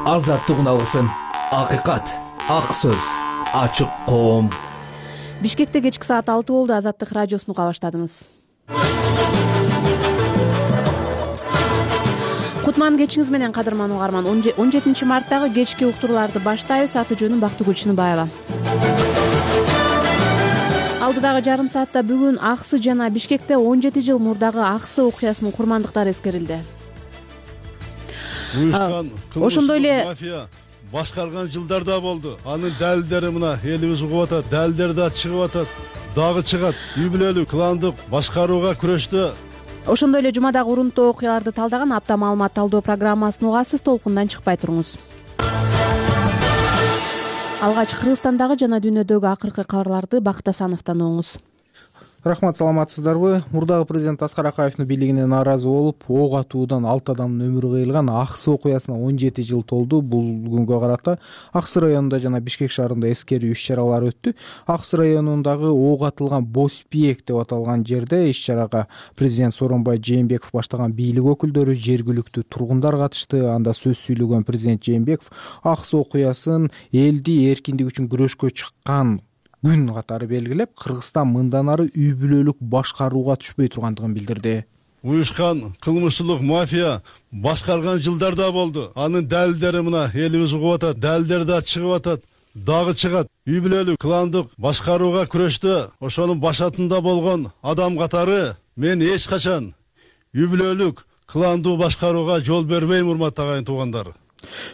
Азаттык алгысым, акыйкат, ак сөз, ачык коом. Бишкекте кечки саат 6 болду. Азаттык радиосун уга баштадыңыз. Кутман кечиңиз менен кадырман угарман. 17 марттагы кечки уктурууларды баштайбыз. Аты жөнүм Бактыгүл Чыныбаева. Алдыдагы жарым саатта бүгүн Аксы жана Бишкекте 17 жыл мурдагы Аксы окуясынын курмандыктары эскерилди. Ошондой эле мафия башкарган жылдарда болду. Анын далилдери мына элибиз угуп атат, далилдери да чыгып атат, дагы чыгат. Үй бүлөлүк, кландык башкарууга күрөштө. Ошондой эле жумадагы урунттуу окуяларды талдаган апта маалымат талдоо программасын угасыз. Толкундан чыкпай туруңуз. Алгач Кыргызстандагы жана дүйнөдөгү акыркы кабарларды Бакыт Асановдон угуңуз. Рахмат, саламатсыздарбы? Мурдагы президент Аскар Акаевдин бийлигине нааразы болуп, ок атуудан 6 адамдын өмүрү кыйылган Аксы окуясына 17 жыл толду. Бул күнгө карата Аксы районунда жана Бишкек шаарында эскерүү иш-чаралар өттү. Аксы районундагы ок атылган Боспиек деп аталган жерде иш-чарага президент Сооронбай Жээнбеков баштаган бийлик өкүлдөрү, жергиликтүү тургундар катышты. Анда сөз сүйлөгөн президент Жээнбеков Аксы окуясын элди эркиндик үчүн күрөшкө чыккан күн катары белгилеп, Кыргызстан мындан ары үй бүлөлүк башкарууга түшпөй тургандыгын билдирди. Уюшкан кылмыштуулук мафия башкарган жылдарда болду. Анын далилдери мына элибиз угуп атат, далилдери да чыгып атат, дагы чыгат. Үй бүлөлүк, кландык башкарууга күрөштө ошонун башатында болгон адам катары мен эч качан үй бүлөлүк, кландуу башкарууга жол бербейм, урматтуу агайын туугандар.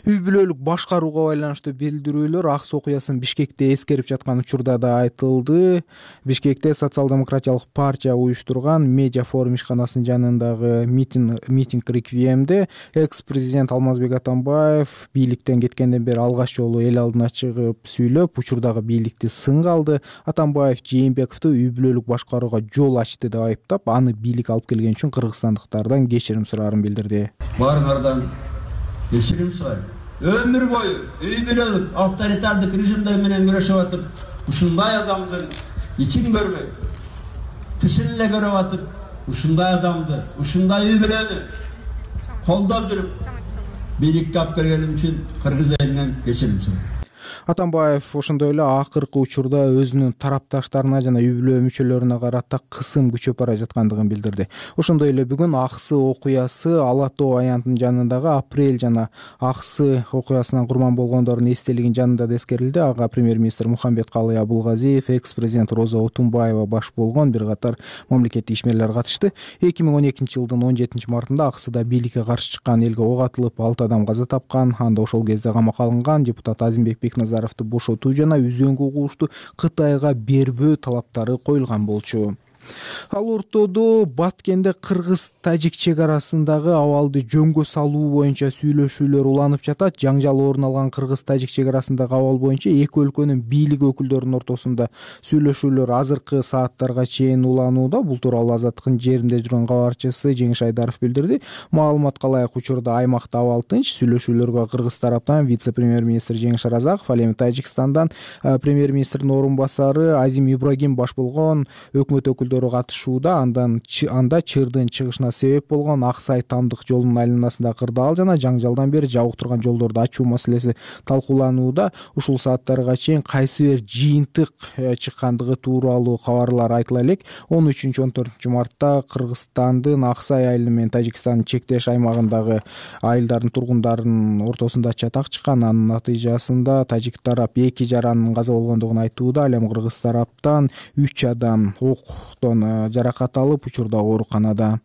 Үй бүлөлүк башкарууга байланыштуу билдирүүлөр Аксы окуясын Бишкекте эскерип жаткан учурда да айтылды. Бишкекте социал-демократиялык партия уюштурган медиа форум ишканасынын жанындагы митинг реквиемде экс-президент Алмазбек Атамбаев бийликтен кеткенден бери алгач жолу эл алдына чыгып сүйлөп, учурдагы бийликти сынга алды. Атамбаев Жээнбековду үй бүлөлүк башкарууга жол ачты деп айыптап, аны бийлик алып келген үчүн кыргызстандыктардан кечирим сураарын билдирди. Баарыңардан кечирим сурайм. Өмүр бою үй бүлөлүк авторитардык режимдер менен күрөшүп атып, ушундай адамдын ичин көрбөй, тышын эле көрүп атып, ушундай адамды, ушундай үй бүлөнү колдоп жүрүп, бийликке алып келгеним үчүн кыргыз элинен кечирим сурайм. Атамбаев ошондой эле акыркы учурда өзүнүн тарапташтарына жана үй бүлө мүчөлөрүнө карата кысым күчөп бара жаткандыгын билдирди. Ошондой эле бүгүн Аксы окуясы Ала Тоо аянтынын жанындагы Апрель жана Аксы окуясынан курман болгондордун эстелигинин жанында да эскерилди. Ага премьер-министр Мухамбеткалый Абулгазиев, экс-президент Роза Отунбаева баш болгон бир катар мамлекеттик ишмерлер катышты. 2012-жылдын 17 мартында Аксыда бийликке каршы чыккан элге ок атылып, 6 адам каза тапкан. Анда ошол кезде камакка алынган депутат Азимбек Бекназаровду бошотуу жана үзөңгү угушту Кытайга бербөө талаптары коюлган болчу. Ал ортодо Баткенде кыргыз-тажик чек арасындагы абалды жөнгө салуу боюнча сүйлөшүүлөр уланып жатат. Жаңжал орун алган кыргыз-тажик чек арасындагы абал боюнча эки өлкөнүн бийлик өкүлдөрүнүн ортосунда сүйлөшүүлөр азыркы сааттарга чейин уланууда. Бул тууралуу Азаттыктын жеринде жүргөн кабарчысы Жеңиш Айдаров билдирди. Маалыматка ылайык учурда аймакта абал тынч. Сүйлөшүүлөргө кыргыз тараптан вице-премьер-министр Жеңиш Аразаков, ал эми Тажикстандан премьер-министрдин орун басары Азим Ибрагим баш болгон өкмөт өкүлдөрү катышууда. Анда чырдын чыгышына себеп болгон Аксай Тамдык жолунун айланасында кырдаал жана жаңжалдан бери жабык турган жолдорду ачуу маселеси талкууланууда. Ушул сааттарга чейин кайсы бир жыйынтык чыккандыгы тууралуу кабарлар айтыла элек. 13-14 мартта Кыргызстандын Аксай айылы менен Тажикстандын чектеш аймагындагы айылдардын тургундарынын ортосунда чатак чыккан. Анын натыйжасында тажик тарап 2 жаранын каза болгондугун айтууда. Ал эми кыргыз тараптан 3 адам октон жаракат алып, учурда ооруканада.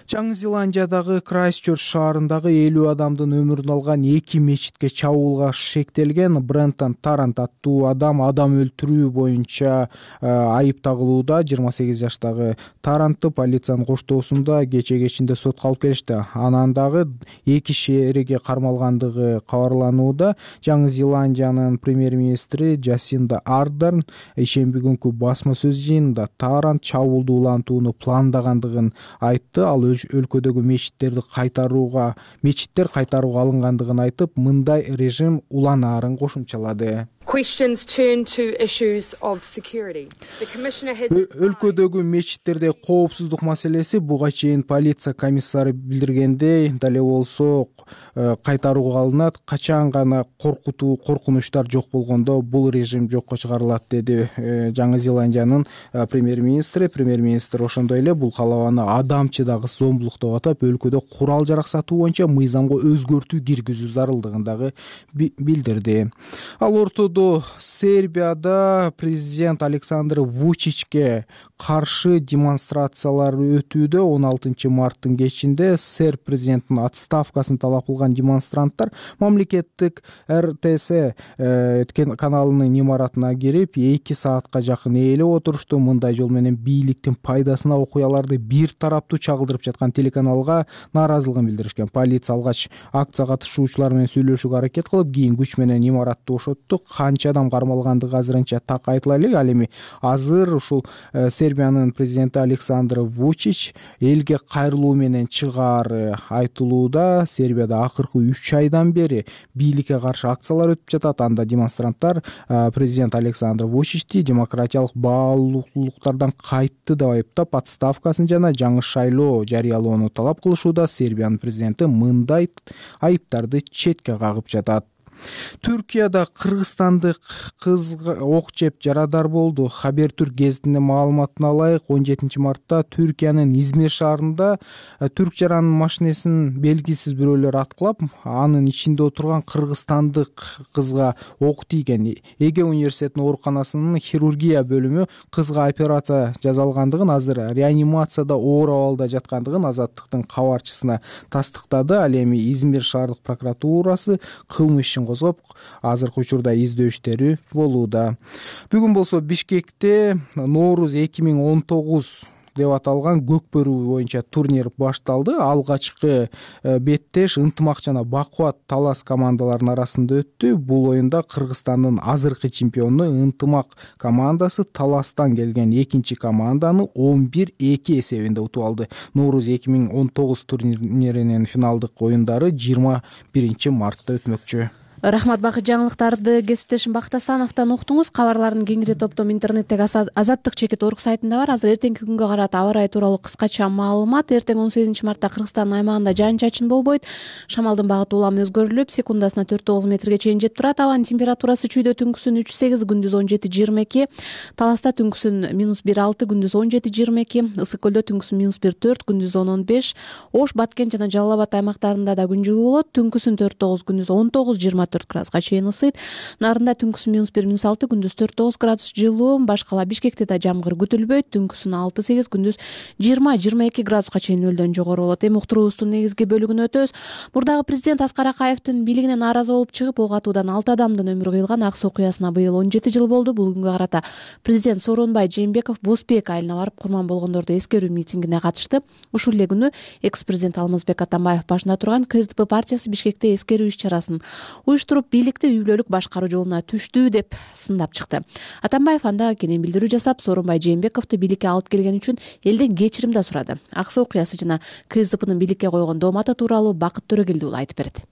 Жаңы Зеландиядагы Крайстчерч шаарындагы 50 адамдын өмүрүн алган 2 мечитке чабуулга шектелген Брентон Тарант аттуу адам өлтүрүү боюнча айып тагылууда. 28 жаштагы Тарантты полициянын коштоосунда кечинде сотко алып келишти. Анан дагы 2 шериги кармалгандыгы кабарланууда. Жаңы Зеландиянын премьер-министри Джасинда Ардерн ишемби күнкү басма сөз жыйынында Тарант чабуулду улантууну пландагандыгын айтты. Ал өлкөдөгү мечиттер кайтарууга алынгандыгын айтып, мындай режим уланаарын кошумчалады. questions turn to issues of security. The Commissioner has Өлкөдөгү мечиттерде коопсуздук маселеси буга чейин полиция комиссары билдиргендей дале болсо кайтарууга алынат. Качан гана коркунучтар жок болгондо бул режим жокко чыгарылат, деди Жаңы Зеландиянын премьер-министри. Премьер-министр ошондой эле бул каалабаны адамчы дагы зомбулук деп атап, өлкөдө курал жарак сатуу боюнча мыйзамга өзгөртүү киргизүү зарылдыгын дагы билдирди. Ал ортодо Сербияда президент Александр Вучичке каршы демонстрациялар өтүүдө. 16 марттын кечинде серб президентинин отставкасын талап кылган демонстранттар мамлекеттик РТС каналынын имаратына кирип 2 саатка жакын ээлеп отурушту. Мындай жол менен бийликтин пайдасына окуяларды бир тараптуу чагылдырып жаткан телеканалга нааразылыгын билдиришкен. Полиция алгач акция катышуучулар менен сүйлөшүүгө аракет кылып, кийин күч менен имаратты бошотту. Канча адам кармалгандыгы азырынча так айтыла элек. Ал эми азыр ушул Сербиянын президенти Александр Вучич элге кайрылуу менен чыгаары айтылууда. Сербияда акыркы 3 айдан бери бийликке каршы акциялар өтүп жатат. Анда демонстранттар президент Александр Вучичти демократиялык баалуулуктардан кайтты деп айыптап, отставкасын жана жаңы шайлоо жарыялоону талап кылышууда. Сербиянын президенти мындай айыптарды четке кагып жатат. Түркияда кыргызстандык кыз ок жеп жарадар болду. Хабер Түрк гезитинин маалыматына ылайык, 17 мартта Түркиянын Измир шаарында түрк жаран машинесин белгисиз бирөөлөр аткылап, анын ичинде отурган кыргызстандык кызга ок тийген. Эге университетинин ооруканасынын хирургия бөлүмү кызга операция жасалгандыгын, азыр реанимацияда оор абалда жаткандыгын Азаттыктын кабарчысына тастыктады. Ал эми Измир шаардык прокуратурасы кылмыш ишин козгоп, азыркы учурда издөө иштери болууда. Бүгүн болсо Бишкекте Ноорuz 2019 деп аталган көкбөрүү боюнча турнир башталды. Алгачкы беттеш ынтымак жана бакубат талас командаларынын арасында өттү. Бул оюнда Кыргызстандын азыркы чемпиону ынтымак командасы таластан келген экинчи команданы 11-2 эсебинде утуп алды. Ноорuz 2019 турниринин финалдык оюндары 21 мартта өтмөкчү. Рахмат, бакыт жаңылыктарды кесиптешим Бакыт Асановдон уктуңуз. Кабарлардын кеңири топтом интернеттеги Азаттык.org сайтында бар. Азыр эртеңки күнгө карата аба ырайы тууралуу кыскача маалымат. Эртең 18 мартта Кыргызстандын аймагында жаан-чачын болбойт. Шамалдын багыты улам өзгөрүлүп, секундасына 4-9 метрге чейин жетип турат. Абанын температурасы чүйдө түнкүсүн 3-8, күндүз 17-22, Таласта түнкүсүн -1-6, күндүз 17-22, Ысык көлдө түнкүсүн -1-4, күндүз 10-15, Ош, Баткен жана Жалал Абад аймактарында да күн жылуу болот. Түнкүсүн 4-9, күндүз 19-24 градуска чейин ысыйт. Нарында түнкүсүн -1-6, күндүз 4-9 градус жылуу. Башкала Бишкекте да жамгыр күтүлбөйт. Түнкүсүн 6-8, күндүз 20-22 градуска чейин нөлдөн жогору болот. Эми уктуруубуздун негизги бөлүгүнө өтөбүз. Мурдагы президент Аскар Акаевдин бийлигине нааразы болуп чыгып, ок атуудан 6 адамдын өмүрү кыйылган Ак Суу окуясына быйыл 17 жыл болду. Бул күнгө карата президент Сооронбай Жээнбеков Бозбек айылына барып курман болгондорду эскерүү митингине катышты. Ушул эле күнү экс-президент Алмазбек Атамбаев башында турган КСДП партиясы Бишкекте эскерүү иш-чарасын уюштуруп, бийликти үй бүлөлүк башкаруу жолуна түштү деп сындап чыкты. Атамбаев анда кенен билдирүү жасап, Сооронбай Жээнбековду бийликке алып келген үчүн элден кечирим да сурады. Ак Суу окуясы жана КСДПнын бийликке койгон дооматы тууралуу Бакыт Төрөгелди уулу айтып берет.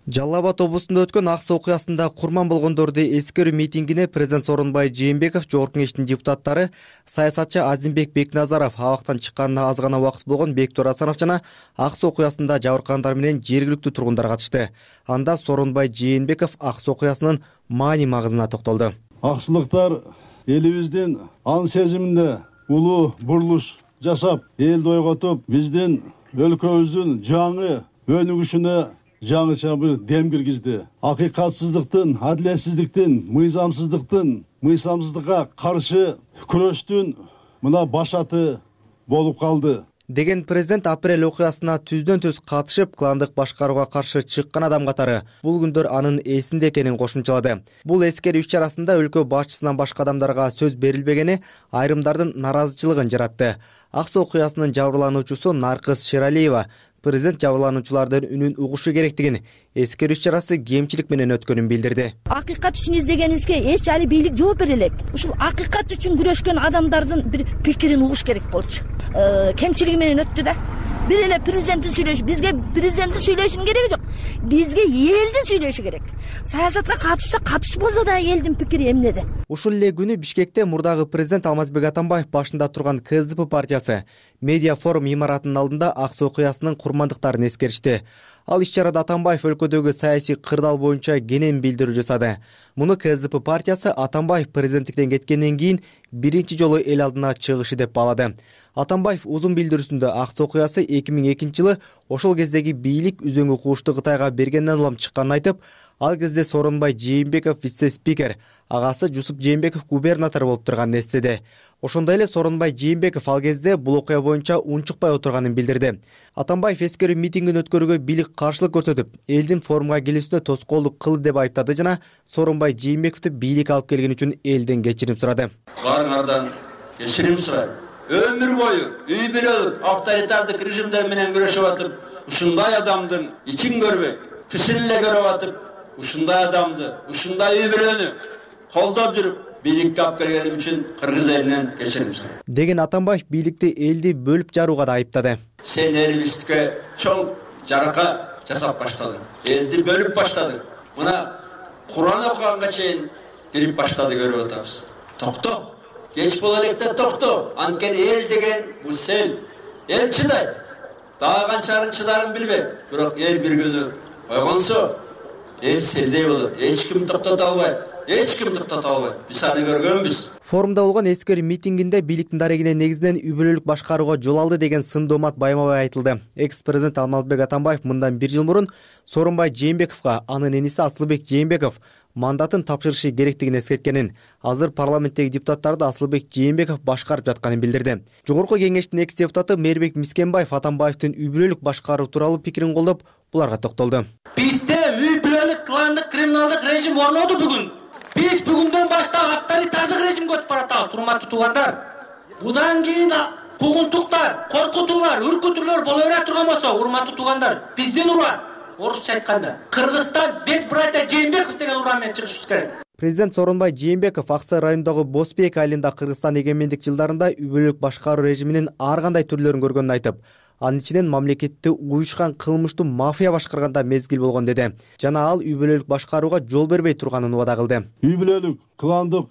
Жалал Абад облусунда өткөн Ак Суу окуясында курман болгондорду эскерүү митингине президент Сооронбай Жээнбеков, Жогорку Кеңештин депутаттары, саясатчы Азимбек Бекназаров, абактан чыкканына аз гана убакыт болгон Бектур Асанов жана Ак Суу окуясында жабыркагандар менен жергиликтүү тургундар катышты. Анда Сооронбай Жээнбеков Ак Суу окуясынын маани магызына токтолду. Аксылыктар элибиздин ан сезиминде улуу бурулуш жасап, элди ойготуп, биздин өлкөбүздүн жаңы өнүгүшүнө жаңыча бир дем киргизди. Акыйкатсыздыктын, адилетсиздиктин, мыйзамсыздыкка каршы күрөштүн мына башаты болуп калды деген президент апрель окуясына түздөн-түз катышып, кландык башкарууга каршы чыккан адам катары бул күндөр анын эсинде экенин кошумчалады. Бул эскерүү иш-чарасында өлкө башчысынан башка адамдарга сөз берилбегени айрымдардын наразычылыгын жаратты. Ак Суу окуясынын жабырлануучусу Наркыз Шералиева президент жабырлануучулардын үнүн угушу керектигин, эскерүү иш-чарасы кемчилик менен өткөнүн билдирди. Акыйкат үчүн издегенибизге эч али бийлик жооп бере элек. Ушул акыйкат үчүн күрөшкөн адамдардын бир пикирин угуш керек болчу. Кемчилиги менен өттү да. Бир эле президенттин сүйлөшү, бизге президенттин сүйлөшүнүн кереги жок. Бизге элдин сүйлөшү керек. Саясатка катышса катышпаса да элдин пикири эмнеде? Ушул эле күнү Бишкекте мурдагы президент Алмазбек Атамбаев башында турган КСДП партиясы медиа форум имаратынын алдында ак суу окуясынын курмандыктарын эскеришти. Ал иш-чарада Атамбаев өлкөдөгү саясий кырдаал боюнча кенен билдирүү жасады. Муну КСДП партиясы Атамбаев президенттиктен кеткенден кийин биринчи жолу эл алдына чыгышы деп баалады. Атамбаев узун билдирүүсүндө ак суу окуясы 2002 жылы ошол кездеги бийлик үзөңгү куушту Кытайга бергенден улам чыкканын айтып, ал кезде Сооронбай Жээнбеков вице-спикер, агасы Жусуп Жээнбеков губернатор болуп турганын эстеди. Ошондой эле Сооронбай Жээнбеков ал кезде бул окуя боюнча унчукпай отурганын билдирди. Атамбаев эскерүү митингин өткөрүүгө бийлик каршылык көрсөтүп, элдин форумга келүүсүнө тоскоолдук кылды деп айыптады жана Сооронбай Жээнбековду бийлик алып келген үчүн элден кечирим сурады. Баарыңардан кечирим сурайм. Өмүр бою үй бүлөлүк авторитардык режимдер менен күрөшүп атып, ушундай адамдын ичин көрбөй, тышын эле көрүп атып, ушундай адамды, ушундай үй бүлөнү колдоп жүрүп, бийликке алып келгеним үчүн кыргыз элинен кечирим сурайм деген Атамбаев бийликти элди бөлүп жарууга да айыптады. Сен элибизге чоң жарака жасап баштадың, элди бөлүп баштадың. Мына Куран окуганга чейин кирип баштады, көрүп атабыз. Токто, кеч боло электе токто. Анткени эл деген бул сел. Эл чыдайт. Дагы канчалык чыдарын билбейм. Бирок эл бир күнү койгонсо, эл селдей болот. Эч ким токтото албайт. Биз аны көргөнбүз. Форумда болгон эскерүү митингинде бийликтин дарегине негизинен үй бүлөлүк башкарууга жол алды деген сын доомат байма-бай айтылды. Экс-президент Алмазбек Атамбаев мындан 1 жыл мурун Сооронбай Жээнбековго анын эниси Асылбек Жээнбеков мандатын тапшырышы керектигин эскерткенин, азыр парламенттеги депутаттарды Асылбек Жээнбеков башкарып жатканын билдирди. Жогорку кеңештин экс-депутаты Мээрбек Мискенбаев Атамбаевдин үй бүлөлүк башкаруу тууралуу пикирин колдоп, буларга токтолду. Бизде үй бүлөлүк кландык криминалдык режим орноду бүгүн. Биз бүгүндөн баштап авторитардык режимге өтүп баратабыз, урматтуу туугандар. Будан кийин куугунтуктар, коркутуулар, үркүтүүлөр боло бере турган болсо, урматтуу туугандар, биздин уран, орусча айтканда, Кыргызстан бет братья Жээнбеков деген уран менен чыгышыбыз керек. Президент Сооронбай Жээнбеков Аксай районундагы Босбек айылында Кыргызстан эгемендик жылдарында үй бүлөлүк башкаруу режиминин ар кандай түрлөрүн көргөнүн айтып, анын ичинен мамлекетти уюшкан кылмыштуу мафия башкарганда мезгил болгон деди. Жана ал үй бүлөлүк башкарууга жол бербей турганын убада кылды. Үй бүлөлүк кландык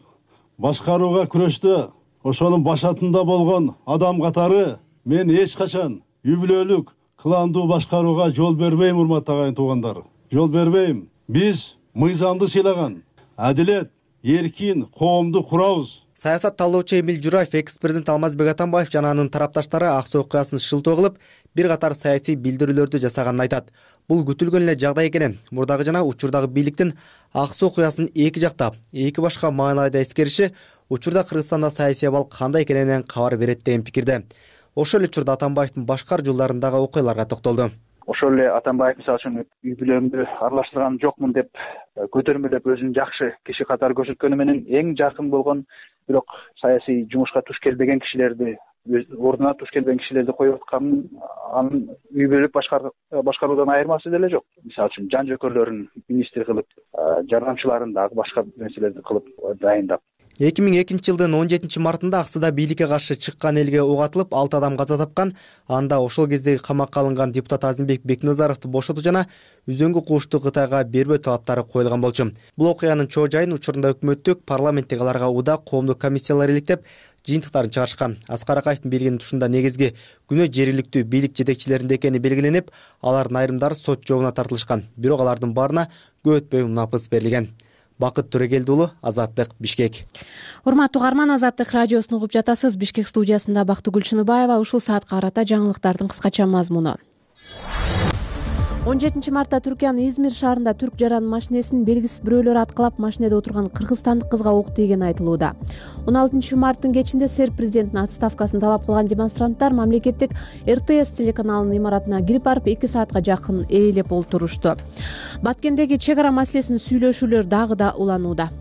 башкарууга күрөштө ошонун башатында болгон адам катары мен эч качан үй бүлөлүк кландуу башкарууга жол бербейм, урматтуу агайын туугандар. Жол бербейм. Биз мыйзамды сыйлаган, адилет, эркин коомду курабыз. Саясат талоочу Эмил Жураев экс-президент Алмазбек Атамбаев жана анын тарапташтары ак суу окуясын шылтоо кылып, бир катар саясий билдирүүлөрдү жасаганын айтат. Бул күтүлгөн эле жагдай экенин, мурдагы жана учурдагы бийликтин ак суу окуясын эки жактап, эки башка маанайда эскериши учурда Кыргызстанда саясий абал кандай экенинен кабар берет деген пикирде. Ошол эле учурда Атамбаевдин башкар жылдарындагы окуяларга токтолду. Ошол эле Атамбаев мисалы үчүн үй бүлөмдү аралаштырган жокмун деп көтөрмөлөп өзүн жакшы киши катары көрсөткөнү менен эң жакын болгон, бирок саясий жумушка туш келбеген кишилерди, ордуна туш келбеген кишилерди коюп атканын анын үй бүлөлүк башкаруудан айырмасы деле жок. Мисалы үчүн жан жөкөрлөрүн министр кылып, жардамчыларын дагы башка нерселерди кылып дайындап. 2002 жылдын 17 мартында Аксыда бийликке каршы чыккан элге ок атылып 6 адам каза тапкан. Анда ошол кездеги камакка алынган депутат Азимбек Бекназаровду бошотуу жана үзөңгү куушту Кытайга бербөө талаптары коюлган болчу. Бул окуянын чоо жайын учурунда өкмөттүк, парламенттик аларга уда коомдук комиссиялар иликтеп, жыйынтыктарын чыгарышкан. Аскар Акаевдин бергени ушунда негизги күнөө жергиликтүү бийлик жетекчилеринде экени белгиленип, алардын айрымдары сот жообуна тартылышкан. Бирок алардын баарына көп өтпөй унапыс берилген. Бакыт Төрөгелди уулу, Азаттык, Бишкек. Урматтуу угарман, Азаттык радиосун угуп жатасыз. Бишкек студиясында Бактыгүл Чыныбаева. Ушул саатка карата жаңылыктардын кыскача мазмуну. 17 мартта Түркиянын Измир шаарында түрк жаран машинесин белгисиз бирөөлөр аткылап, машинеде отурган кыргызстандык кызга ок тийгени айтылууда. 16 марттын кечинде СССР президентинин отставкасын талап кылган демонстранттар мамлекеттик РТС телеканалынын имаратына кирип барып 2 саатка жакын ээлеп олтурушту. Баткендеги чек ара маселесин сүйлөшүүлөр дагы да уланууда.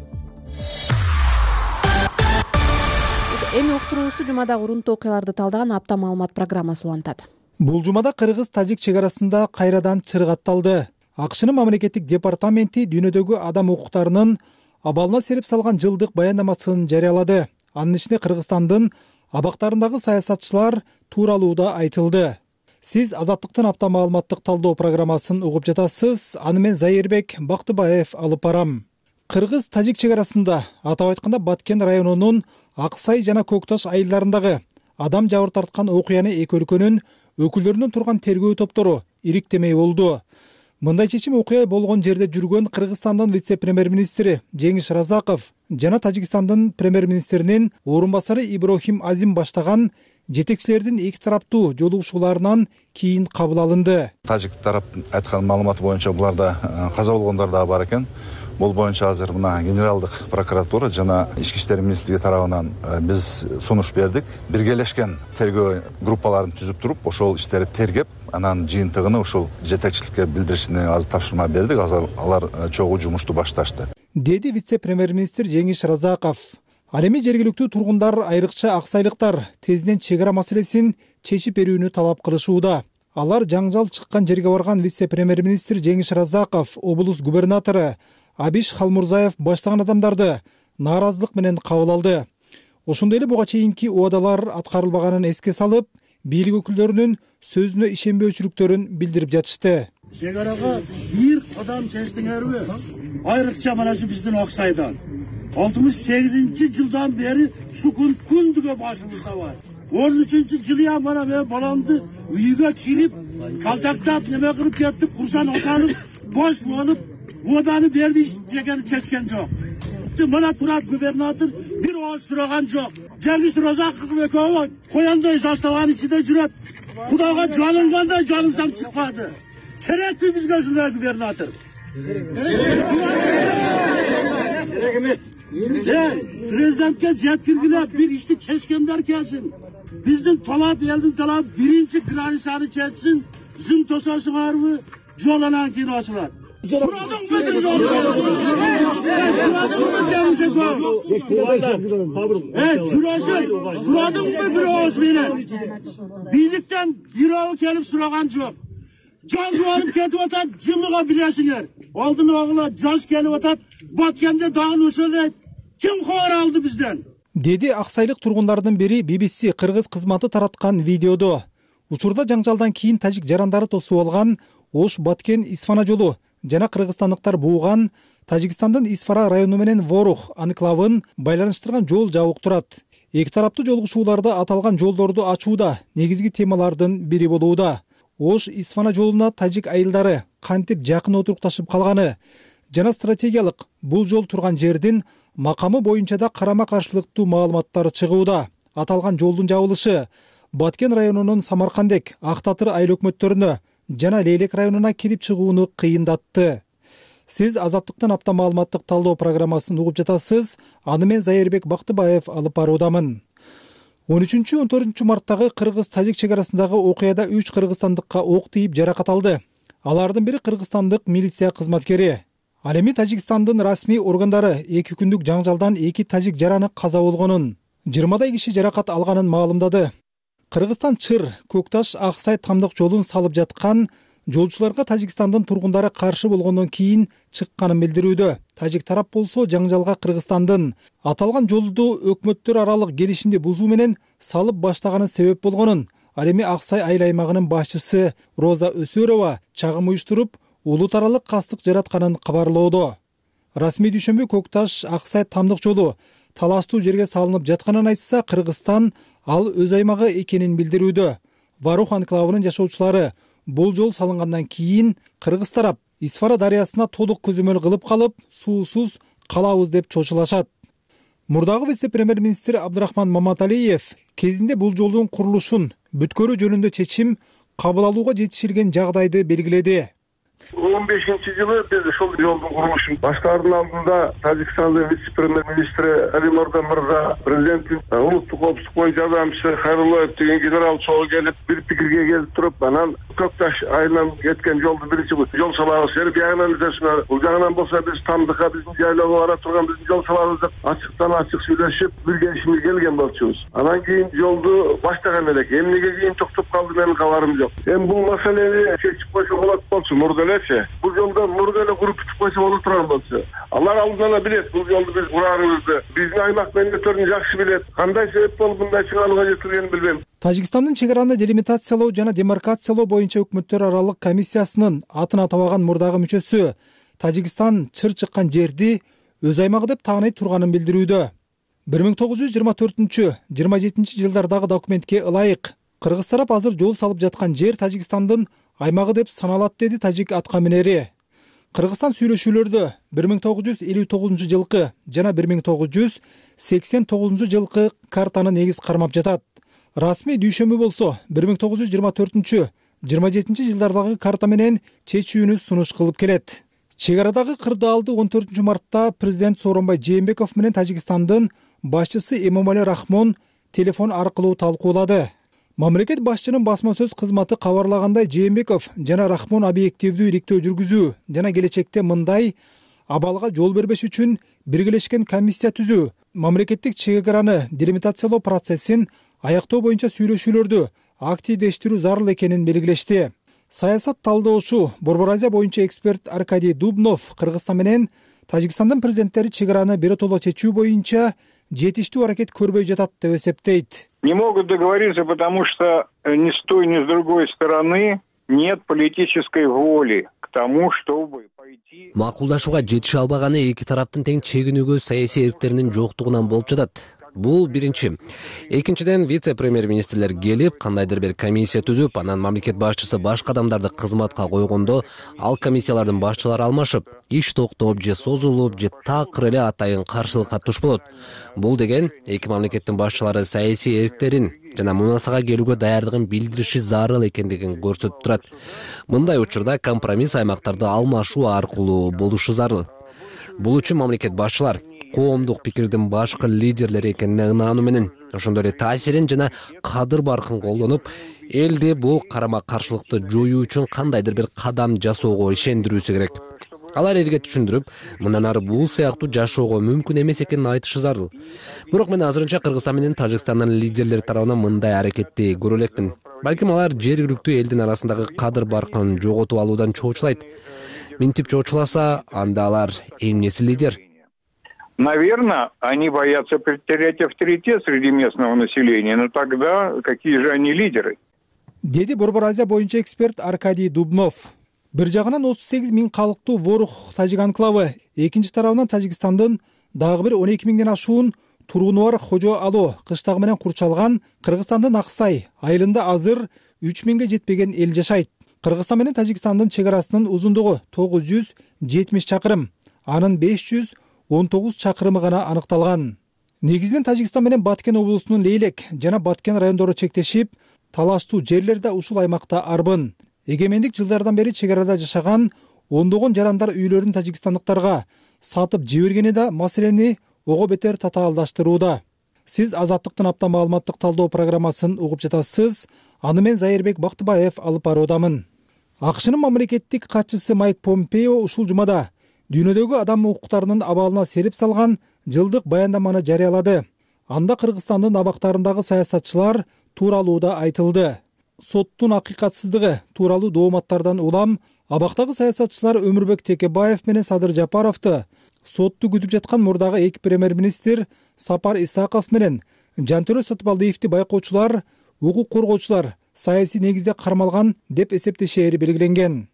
Эми уктуруубузду жумадагы урунтуу окуяларды талдаган апта маалымат программасы улантат. Бул жумада кыргыз-тажик чек арасында кайрадан чырык атталды. АКШнын мамлекеттик департаменти дүйнөдөгү адам укуктарынын абалына сереп салган жылдык баяндамасын жарыялады. Анын ичинде Кыргызстандын абактарындагы саясатчылар тууралуу да айтылды. Сиз Азаттыктын апта маалыматтык талдоо программасын угуп жатасыз. Аны мен Зайырбек Бактыбаев алып барам. Кыргыз-тажик чек арасында, атап айтканда Баткен районунун Аксай жана Көкташ айылдарындагы адам жабыр тарткан окуяны эки өлкөнүн өкүлдөрүнөн турган тергөө топтору ириктемей болду. Мындай чечим окуя болгон жерде жүргөн Кыргызстандын вице-премьер-министри Жеңиш Разаков жана Тажикстандын премьер-министринин орун басары Иброхим Азим баштаган жетекчилердин эки тараптуу жолугушууларынан кийин кабыл алынды. Тажик тарап айткан маалыматы боюнча буларда каза болгондор да бар экен. Бул боюнча азыр мына генералдык прокуратура жана ички иштер министрлиги тарабынан биз сунуш бердик. Биргелешкен тергөө группаларын түзүп туруп, ошол иштерди тергеп, анан жыйынтыгын ушул жетекчиликке билдиришине азыр тапшырма бердик. Азыр алар чогуу жумушту башташты, деди вице-премьер-министр Жеңиш Разаков. Ал эми жергиликтүү тургундар, айрыкча аксайлыктар тезинен чек ара маселесин чечип берүүнү талап кылышууда. Алар жаңжал чыккан жерге барган вице-премьер-министр Жеңиш Разаков, облус губернатору Абиш Халмурзаев баштаган адамдарды нааразылык менен кабыл алды. Ошондой эле буга чейинки убадалар аткарылбаганын эске салып, бийлик өкүлдөрүнүн сөзүнө ишенбөөчүлүктөрүн билдирип жатышты. Чек арага бир кадам чечтиңерби? Айрыкча mana shu биздин Аксайдан 68-жылдан бери сукун күндүгө башыбызда бар. 13-жылы mana мен баламды үйгө кирип, калтактап, неме кылып кеттик, курсан осанып, бош болуп, воданы берди, ичкен чечкен жок. Mana турат губернатор бир ооз сураган жок. Жеңиш Разаков экөө кояндой заставанын ичинде жүрөт. Кудайга жалынгандай жалынсам чыкпады. Керекпи бизге ушундай губернатор? Керек эмес. Президентке жеткиргиле бир ишти чечкендер келсин. Биздин талап, элдин талабы биринчи границаны чечсин, зым тососуңарбы, жол анан кийин ачылат. Сурадыңбы бир ооз менен? Бийликтен бирөө келип сураган жок. Жаз алып кетип атат, жылыга билесиңер. Алдын огула жаз келип атат, Баткенде дагы ошолой. Ким кабар алды бизден? Деди аксайлык тургундардын бири BBC кыргыз кызматы тараткан видеодо. Учурда жаңжалдан кийин тажик жарандары тосуп алган Ош Баткен Исфана жолу жана кыргызстандыктар бууган Тажикстандын Исфара району менен Ворух анклавын байланыштырган жол жабык турат. Эки тараптуу жолугушууларда аталган жолдорду ачууда негизги темалардын бири болууда. Ош Исфана жолуна тажик айылдары кантип жакын отурукташып калганы жана стратегиялык бул жол турган жердин макамы боюнча да карама каршылыктуу маалыматтар чыгууда. Аталган жолдун жабылышы Баткен районунун Самаркандек, Ак Татыр айыл өкмөттөрүнө жана Лейлек районуна кирип чыгууну кыйындатты. Сиз Азаттыктын апта маалыматтык талдоо программасын угуп жатасыз. Аны мен Зайырбек Бактыбаев алып баруудамын. 13-14 марттагы кыргыз-тажик чек арасындагы окуяда 3 кыргызстандыкка ок тийип жаракат алды. Алардын бири кыргызстандык милиция кызматкери. Ал эми Тажикстандын расмий органдары 2 күндүк жаңжалдан 2 тажик жараны каза болгонун, 20 киши жаракат алганын маалымдады. Кыргызстан Чыр, Көкташ, Аксай тамдык жолун салып жаткан жолчуларга Тажикстандын тургундары каршы болгондон кийин чыкканын билдирүүдө. Тажик тарап болсо жаңжалга Кыргызстандын аталган жолду өкмөттөр аралык келишимди бузуу менен салып баштаганын себеп болгонун, ал эми Аксай айыл аймагынын башчысы Роза Өсөрова чагым уюштуруп, улут аралык кастык жаратканын кабарлоодо. Расмий дүйшөмбү Көкташ Аксай тамдык жолу талаштуу жерге салынып жатканын айтса, Кыргызстан ал өз аймагы экенин билдирүүдө. Ворух анклавынын жашоочулары бул жол салынгандан кийин кыргыз тарап Исфара дарыясына толук көзөмөл кылып калып, суусуз калабыз деп чочулашат. Мурдагы вице-премьер-министр Абдырахман Маматалиев кезинде бул жолдун курулушун бүткөрүү жөнүндө чечим кабыл алууга жетишилген жагдайды белгиледи. 15-жылы биз ошол жолдун курулушун баштаардын алдында Тажикстандын вице-премьер-министри Али Мордан мырза, президенттин улуттук коопсуздук боюнча жардамчысы Хайруллаев деген генерал чогуу келип, бир пикирге келип туруп, анан Көкташ айылынан кеткен жолду биринчи жол салабыз деп биягынан изесине, бул жагынан болсо биз тамдыкка биздин жайлоого бара турган биздин жол салабыз деп ачыктан ачык сүйлөшүп, бир келишимге келген болчубуз. Анан кийин жолду баштаган элек. Эмнеге кийин токтоп калды менин кабарым жок. Эми бул маселени чечип койсо болот болчу, бул жолдо мурда эле куруп бүтүп койсо боло турган болчу. Алар алдынан эле билет бул жолду биз курарыбызды. Биздин аймак мендеттерин жакшы билет. Кандай себеп болуп мындай чыгарууга жетилгенин билбейм. Тажикстандын чек араны делимитациялоо жана демаркациялоо боюнча өкмөттөр аралык комиссиясынын атын атабаган мурдагы мүчөсү Тажикстан чыр чыккан жерди өз аймагы деп тааный турганын билдирүүдө. 1924-27 жылдардагы документке ылайык кыргыз тарап азыр жол салып жаткан жер Тажикстандын аймагы деп саналат, деди тажик атка минери. Кыргызстан сүйлөшүүлөрдө 1959 жылкы жана 1989 жылкы картаны негиз кармап жатат. Расмий дүйшөмү болсо 1924-27 жылдардагы карта менен чечүүнү сунуш кылып келет. Чек арадагы кырдаалды 14 мартта президент Сооронбай Жээнбеков менен Тажикстандын башчысы Эмомали Рахмон телефон аркылуу талкуулады. Мамлекет башчынын басма сөз кызматы кабарлагандай, Жээнбеков жана Рахмон объективдүү иликтөө жүргүзүү жана келечекте мындай абалга жол бербеш үчүн биргелешкен комиссия түзүү, мамлекеттик чек араны делимитациялоо процессин аяктоо боюнча сүйлөшүүлөрдү активдештирүү зарыл экенин белгилешти. Саясат талдоочу Борбор Азия боюнча эксперт Аркадий Дубнов Кыргызстан менен Тажикстандын президенттери чек араны биротоло чечүү боюнча жетиштүү аракет көрбөй жатат деп эсептейт. Не могут договориться, потому что ни с той, ни с другой стороны нет политической воли к тому, чтобы пойти. Макулдашууга жетише албаганы эки тараптын тең чегинүүгө саясий эрктеринин жоктугунан болуп жатат. Бул биринчи. Экинчиден, вице-премьер-министрлер келип, кандайдыр бир комиссия түзүп, анан мамлекет башчысы башка адамдарды кызматка койгондо, ал комиссиялардын башчылары алмашып, иш токтоп же созулуп, же такыр эле атайын каршылыкка туш болот. Бул деген эки мамлекеттин башчылары саясий эрктерин жана мунасага келүүгө даярдыгын билдириши зарыл экендигин көрсөтүп турат. Мындай учурда компромисс аймактарды алмашуу аркылуу болушу зарыл. Бул үчүн мамлекет башчылар коомдук пикирдин башкы лидерлери экенине ынаануу менен, ошондой эле таасирин жана кадыр баркын колдонуп, элди бул карама каршылыкты жоюу үчүн кандайдыр бир кадам жасоого ишендирүүсү керек. Алар элге түшүндүрүп, мындан ары бул сыяктуу жашоого мүмкүн эмес экенин айтышы зарыл. Бирок мен азырынча Кыргызстан менен Тажикстандын лидерлери тарабынан мындай аракетти көрө элекмин. Балким алар жергиликтүү элдин арасындагы кадыр баркын жоготуп алуудан чоочулайт. Минтип чоочуласа, анда алар эмнеси лидер? Наверное, они боятся потерять авторитет среди местного населения, но тогда какие же они лидеры? Деди Борбор Азия боюнча эксперт Аркадий Дубнов. Бир жагынан 38 миң калктуу Ворух тажик анклавы, экинчи тарабынан Тажикстандын дагы бир 12 миңден ашуун тургуну бар Хожо Ало кыштагы менен курчалган Кыргызстандын Аксай айылында азыр 3 миңге жетпеген эл жашайт. Кыргызстан менен Тажикстандын чек арасынын узундугу 970 чакырым, анын 519 чакырымы гана аныкталган. Негизинен Тажикстан менен Баткен облусунун Лейлек жана Баткен райондору чектешип, талаштуу жерлер да ушул аймакта арбын. Эгемендик жылдардан бери чек арада жашаган ондогон жарандар үйлөрүн тажикстандыктарга сатып жибергени да маселени ого бетер татаалдаштырууда. Сиз Азаттыктын апта маалыматтык талдоо программасын угуп жатасыз. Аны мен Зайырбек Бактыбаев алып баруудамын. АКШнын мамлекеттик катчысы Майк Помпео ушул жумада дүйнөдөгү адам укуктарынын абалына серип салган жылдык баяндаманы жарыялады. Анда Кыргызстандын абактарындагы саясатчылар тууралуу да айтылды. Соттун акыйкатсыздыгы тууралуу дооматтардан улам абактагы саясатчылар Өмүрбек Текебаев менен Садыр Жапаровду сотту күтүп жаткан мурдагы эки премьер-министр Сапар Исаков менен Жантөрө Сатыбалдиевди байкоочулар, укук коргоочулар саясий негизде кармалган деп эсептешери белгиленген.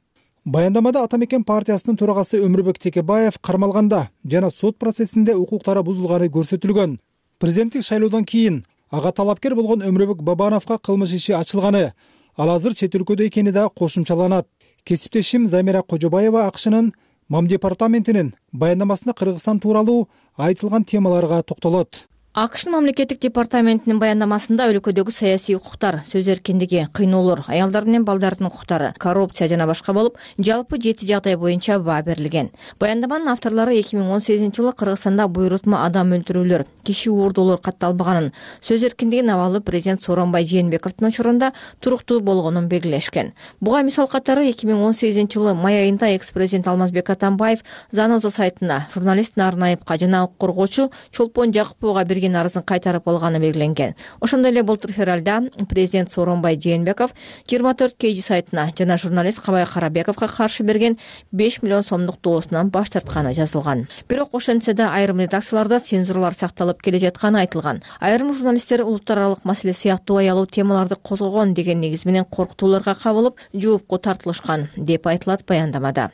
Баяндамада Атамекен партиясынын төрагасы Өмүрбек Текебаев кармалганда жана сот процессинде укуктары бузулганы көрсөтүлгөн. Президенттик шайлоодон кийин ага талапкер болгон Өмүрбек Бабановго кылмыш иши ачылганы, ал азыр чет өлкөдө экени да кошумчаланат. Кесиптешим Замира Кожобаева АКШнын МАМ департаментинин баяндамасында Кыргызстан тууралуу айтылган темаларга токтолот. АКШнын мамлекеттик департаментинин баяндамасында өлкөдөгү саясий укуктар, сөз эркиндиги, кыйноолор, аялдар менен балдардын укуктары, коррупция жана башка болуп, жалпы 7 жагдай боюнча баа берилген. Баяндаманын авторлору 2018 жылы Кыргызстанда буйрутма адам өлтүрүүлөр, киши уурдоолор катталбаганын, сөз эркиндигин абалы президент Сооронбай Жээнбековдун учурунда туруктуу болгонун белгилешкен. Буга мисал катары 2018 жылы май айында экс-президент Алмазбек Атамбаев Заноза сайтына журналист Нарнаевга жана укук коргоочу Чолпон Жакыповго берген берген арызын кайтарып алганы белгиленген. Ошондой эле былтыр февралда президент Сооронбай Жээнбеков 24 KG сайтына жана журналист Кабай Карабековго каршы берген 5 миллион сомдук доосунан баш тартканы жазылган. Бирок ошентсе да айрым редакцияларда цензуралар сакталып келе жатканы айтылган. Айрым журналисттер улуттар аралык маселе сыяктуу аялуу темаларды козгогон деген негиз менен коркутууларга кабылып, жоопко тартылышкан деп айтылат баяндамада.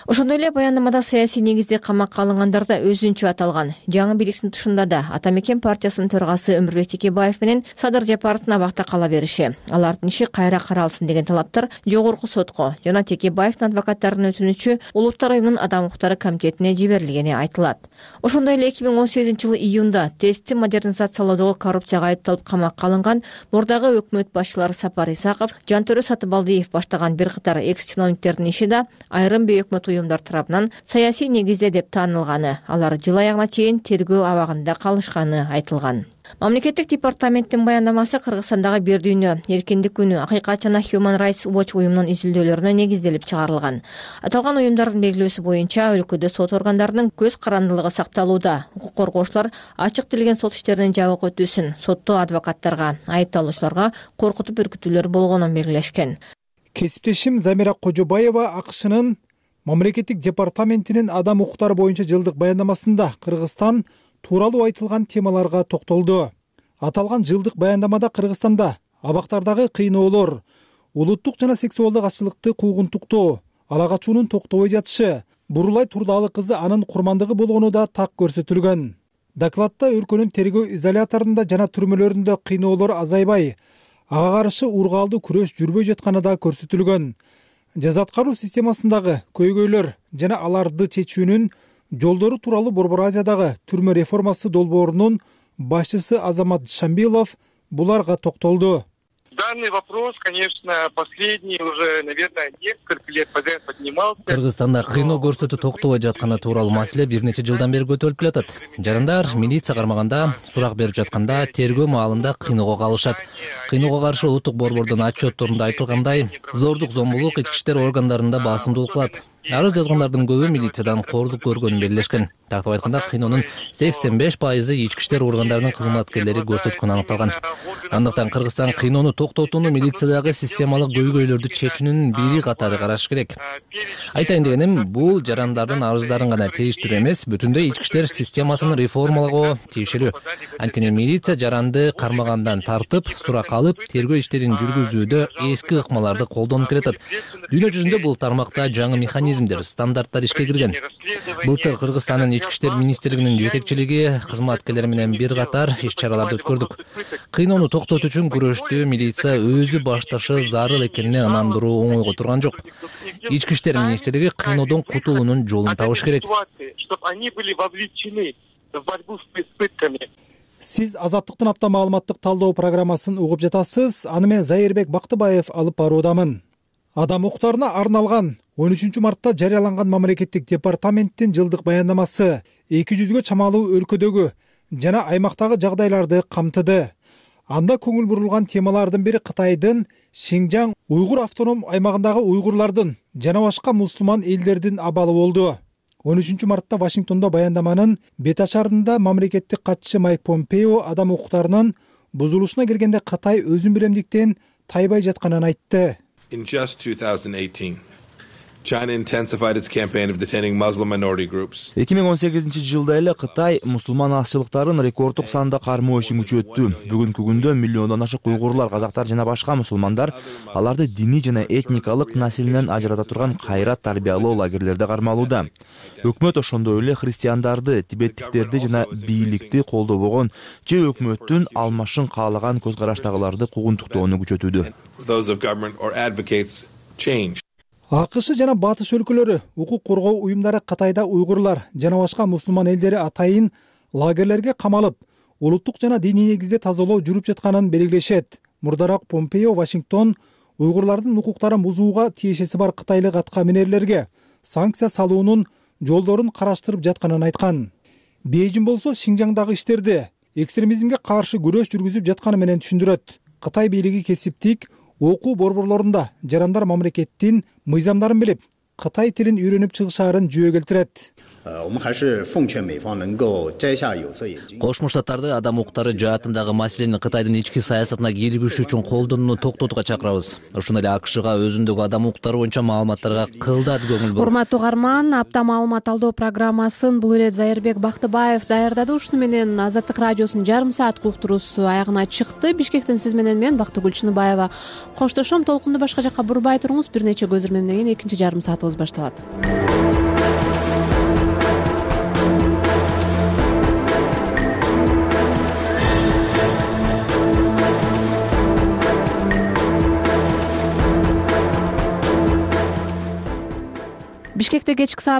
Ошондой эле баяндамада саясий негизде камакка алынгандар да өзүнчө аталган. Жаңы бийликтин тушунда да Ата Мекен партиясынын төрагасы Өмүрбек Текебаев менен Садыр Жапаровдун абакта кала бериши, алардын иши кайра каралсын деген талаптар жогорку сотко жана Текебаевдин адвокаттарынын өтүнүчү Улуттар уюмунун Адам укуктары комитетине жиберилгени айтылат. Ошондой эле 2018-жылы июнда тестти модернизациялоодогу коррупцияга айыпталып камакка алынган мурдагы өкмөт башчылары Сапар Исаков, Жантөрө Сатыбалдиев баштаган бир катар экс-чиновниктердин иши да айрым өкмөт уюмдар тарабынан саясий негизде деп таанылганы, алар жыл аягына чейин тергөө абагында калышканы айтылган. Мамлекеттик департаменттин баяндамасы Кыргызстандагы бир дүйнө эркиндик күнү Акыйкат жана Human Rights Watch уюмунун изилдөөлөрүнө негизделип чыгарылган. Аталган уюмдардын белгилөөсү боюнча өлкөдө сот органдарынын көз карандылыгы сакталууда. Укук коргоочулар ачык тилген сот иштеринин жабык өтүүсүн сотто адвокаттарга, айыпталуучуларга коркутуп үркүтүүлөр болгонун белгилешкен. Кесиптешим Замира Кожобаева АКШнын Мамлекеттик департаментинин адам укуктары боюнча жылдык баяндамасында Кыргызстан тууралуу айтылган темаларга токтолду. Аталган жылдык баяндамада Кыргызстанда абактардагы кыйноолор, улуттук жана сексуалдык азчылыкты куугунтуктоо, ала качуунун токтобой жатышы, Бурулай Турдалы кызы анын курмандыгы болгону да так көрсөтүлгөн. Докладта өлкөнүн тергөө изоляторунда жана түрмөлөрүндө кыйноолор азайбай, ага каршы ургаалдуу күрөш жүрбөй жатканы да көрсөтүлгөн. Жаза аткаруу системасындагы көйгөйлөр жана аларды чечүүнүн жолдору тууралуу Борбор Азиядагы түрмө реформасы долбоорунун башчысы Азамат Шамбилов буларга токтолду. Данный вопрос, конечно, последний уже, наверное, несколько лет подряд поднимался. Кыргызстанда кыйноо көрсөтүү токтобой жатканы тууралуу маселе бир нече жылдан бери көтөрүлүп келатат. Жарандар милиция кармаганда, сурак берип жатканда, тергөө маалында кыйноого калышат. Кыйноого каршы улуттук борбордун отчетторунда айтылгандай, зордук, зомбулук ички иштер органдарында басымдуулук кылат. Арыз жазгандардын көбү милициядан кордук көргөнүн белгилешкен. Тактап айтканда, кыйноонун 85% ички иштер органдарынын кызматкерлери көрсөткөнү аныкталган. Андыктан Кыргызстан кыйноону токтотууну милициядагы системалык көйгөйлөрдү чечүүнүн бири катары караш керек. Айтайын дегеним, бул жарандардын арыздарын гана тийиштирүү эмес, бүтүндөй ички иштер системасын реформалагоо тиешелүү. Анткени милиция жаранды кармагандан тартып, сурак алып, тергөө иштерин жүргүзүүдө эски ыкмаларды колдонуп келатат. Дүйнө жүзүндө бул тармакта жаңы механизмдер, стандарттар ишке кирген. Былтыр Кыргызстандын ички иштер министрлигинин жетекчилиги кызматкерлери менен бир катар иш-чараларды өткөрдүк. Кыйноону токтотуу үчүн күрөштү милиция өзү башташы зарыл экенине ынандыруу оңойго турган жок. Ички иштер министрлиги кыйноодон кутулуунун жолун табыш керек. Сиз Азаттыктын апта маалыматтык талдоо программасын угуп жатасыз. Аны мен Зайырбек Бактыбаев алып баруудамын. Адам укуктарына арналган 13 мартта жарыяланган мамлекеттик департаменттин жылдык баяндамасы 200гө чамалуу өлкөдөгү жана аймактагы жагдайларды камтыды. Анда көңүл бурулган темалардын бири Кытайдын Шинжаң уйгур автоном аймагындагы уйгурлардын жана башка мусулман элдердин абалы болду. 13 мартта Вашингтондо баяндаманын бет ачарында мамлекеттик катчысы Майк Помпео адам укуктарынын бузулушуна келгенде Кытай өзүн биремдиктен тайбай жатканын айтты. In just 2018, China intensified its campaign of detaining Muslim minority groups. 2018-жылда эле Кытай мусулман азчылыктарын рекорддук санда кармоо ишин күчөттү. Бүгүнкү күндө миллиондон ашык уйгурлар, казактар жана башка мусулмандар аларды диний жана этникалык населенен ажырата турган кайрат тарбиялоо лагерлерде кармалууда. Өкмөт ошондой эле христиандарды, тибеттиктерди жана бийликти колдобогон же өкмөттүн алмашын каалаган көз караштагыларды куугунтуктоону күчөтүүдө. Those of government or advocates change. АКШ жана батыш өлкөлөрү укук коргоо уюмдары Кытайда уйгурлар жана башка мусулман элдери атайын лагерлерге камалып, улуттук жана диний негизде тазалоо жүрүп жатканын белгилешет. Мурдараак Помпео Вашингтон уйгурлардын укуктарын бузууга тиешеси бар кытайлык атка минерлерге санкция салуунун жолдорун караштырып жатканын айткан. Бейжин болсо Шинжаңдагы иштерди экстремизмге каршы күрөш жүргүзүп жатканы менен түшүндүрөт. Кытай бийлиги кесиптик окуу борборлорунда жарандар мамлекеттин мыйзамдарын билип, Кытай тилин үйрөнүп чыгышаарын жүйө келтирет. Кошмо Штаттарды адам укуктары жаатындагы маселени Кытайдын ички саясатына кийлигишүү үчүн колдонууну токтотууга чакырабыз. Ошондой эле АКШга өзүндөгү адам укуктары боюнча маалыматтарга кылдат көңүл буруп. Урматтуу угарман, апта маалымат алдоо программасын бул ирет Зайырбек Бактыбаев даярдады. Ушуну менен Азаттык радиосунун жарым саат уктуруусу аягына чыкты. Бишкектен сиз менен мен Бактыгүл Чыныбаева коштошом. Толкунду башка жакка бурбай туруңуз. Бир нече көзөрмөмдөн кийин экинчи жарым саатыбыз башталат. Бишкекте кечки саат